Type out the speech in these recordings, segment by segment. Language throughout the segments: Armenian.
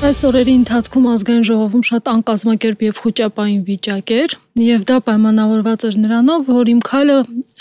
Այս օրերի ընթացքում ազգային ժողովում շատ անկազմակերպ եւ խոճապային վիճակ էր, եւ դա պայմանավորված էր նրանով, որ Իմ քայլը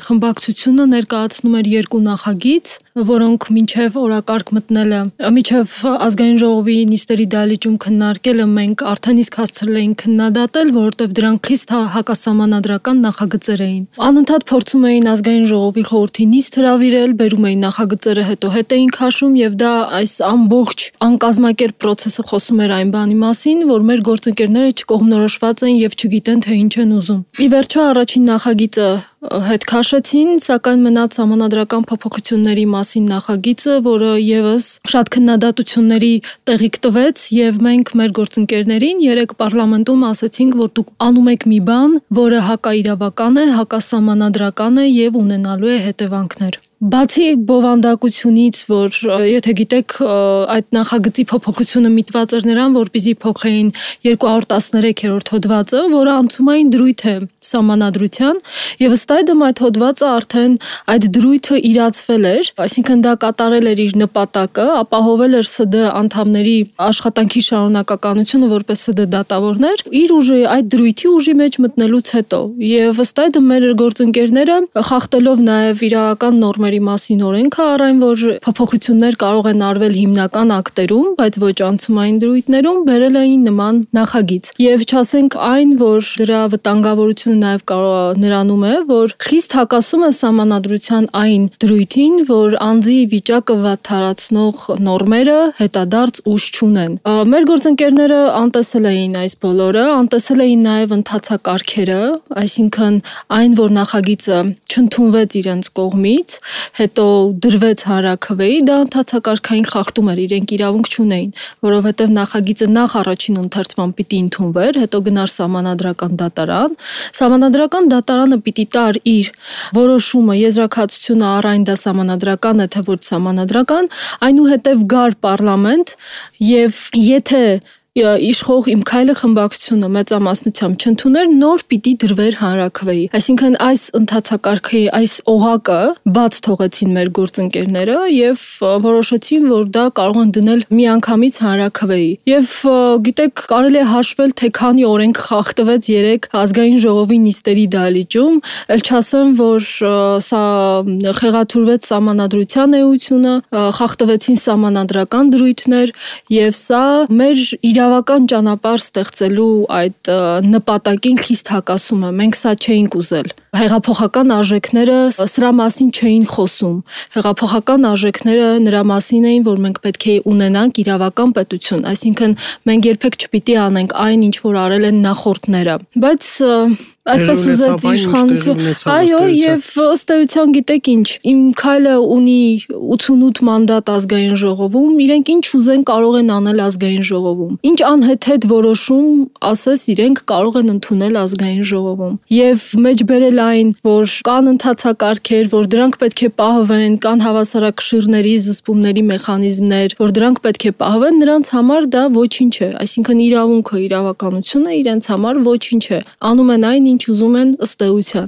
խմբակցությունը ներկայացնում էր երկու նախագիծ, որոնք մինչեւ օրակարգ մտնելը, մինչեւ ազգային ժողովի նիստերի դահլիճում քննարկելը մենք արդեն իսկ հասցրել էինք քննադատել, որովհետեւ դրանք խիստ հակասահմանադրական նախագծեր էին։ Անընդհատ փորձում էին ազգային ժողովի խորհրդի նիստ հրավիրել, բերում էին նախագծերը, հետո հետ էին քաշում եւ դա այս ամբողջ անկազմակերպ process-ը խոսում էր այն բանի մասին, որ մեր գործընկերները չկողմնորոշված են եւ չգիտեն թե ինչ են ուզում։ Ի վերջո առաջին նախագիծը հետ քաշեցին, սակայն մնաց համանadrական փոփոխությունների մասին նախագիծը, որը եւս շատ քննադատությունների տեղիք տվեց եւ մենք մեր գործընկերներին երեք պարլամենտում ասացինք, որ դուք անում եք մի բան, որը հակաիրավական է, հակասահմանադրական է եւ ունենալու է հետևանքներ։ Բացի բովանդակությունից, որ եթե գիտեք, այդ նախագծի փոփոխությունը միտված էր նրան, որպեսզի փոխեին 213-րդ հոդվածը, որը անցումային դրույթ է սահմանադրության, եւ ըստ այդմ այդ հոդվածը արդեն այդ դրույթը իրացվել էր, այսինքն դա կատարել էր իր նպատակը, ապահովել էր ՍԴ անդամների աշխատանքի շարունակականությունը որպես ՍԴ դատավորներ, իր ուժի այդ դրույթի ուժի մեջ մտնելուց հետո, եւ ըստ այդմ մեր գործընկերները խախտելով նաեւ իրավական նորմերի մասին օրենքը առայն որ փոփոխություններ կարող են արվել հիմնական ակտերում, բայց ոչ անցումային դրույթներում բերել էին նման նախագիծ։ Եվ չասենք այն, որ դրա վտանգավորությունը նաեւ կարող նրանում է, որ խիստ հակասում է սահմանադրության այն դրույթին, որ անձի վիճակը վատթարացնող նորմերը հետադարձ ուժ չունեն։ Մեր գործընկերները անտեսել էին այս բոլորը, անտեսել էին նաեւ ընթացակարգերը, այսինքն այն, որ նախագիծը չընդունվեց իրենց կողմից, հետո դրվեց հանրաքվեի, դա ընթացակարգային խախտում էր, իրենք իրավունք չունեին, որովհետև նախագիծը նախ առաջին ընթերցման պիտի ընդունվեր, հետո գնար սահմանադրական դատարան, սահմանադրական դատարանը պիտի տար իր որոշումը, եզրակացությունը առ այն դա սահմանադրական է, թե ոչ սահմանադրական, այնուհետև գար պարլամենտ եւ եթե իշխող Իմ քայլը խմբակցությունը մեծամասնությամբ չընդուներ, նոր պիտի դրվեր հանրաքվեի։ Այսինքն այս ընթացակարգի այս օղակը բաց թողեցին մեր գործընկերները եւ որոշեցին, որ դա կարող են դնել միանգամից հանրաքվեի։ Եվ գիտեք, կարելի է հաշվել, թե քանի օրենք խախտվեց 3 ազգային ժողովի նիստերի դահլիճում, ել չասեմ, որ սա խեղաթյուրվեց սահմանադրության էությունը, խախտվեցին սահմանադրական դրույթներ եւ սա մեր իրավական ճանապարհ ստեղծելու այդ նպատակին խիստ հակասում է։ Մենք սա չէինք ուզել։ Հեղափոխական արժեքները սրա մասին չէին խոսում։ Հեղափոխական արժեքները նրա մասին էին, որ մենք պետք է ունենանք իրավական պետություն, այսինքն մենք երբեք չպիտի անենք այն, ինչ որ արել են նախորդները։ Բայց այդպես ուզեց իշխանությունը։ Այո, եւ ըստ էության գիտեք ինչ, Իմ քայլը ունի 88 մանդատ ազգային ժողովում, իրենք ինչ ուզեն կարող են անել ազգային ժողովում։ Ինչ անհեթեթ որոշում ասես իրենք կարող են ընդունել ազգային ժողովում։ Եվ մեջբերել այն, որ կան ընթացակարգեր, որ դրանք պետք է պահվեն, կան հավասարակշիռների, զսպումների մեխանիզմներ, որ դրանք պետք է պահվեն, նրանց համար դա ոչինչ է։ Այսինքն իրավունքը, իրավականությունը իրենց համար ոչինչ է։ Անում են այն, ինչ ուզում են ըստ էության։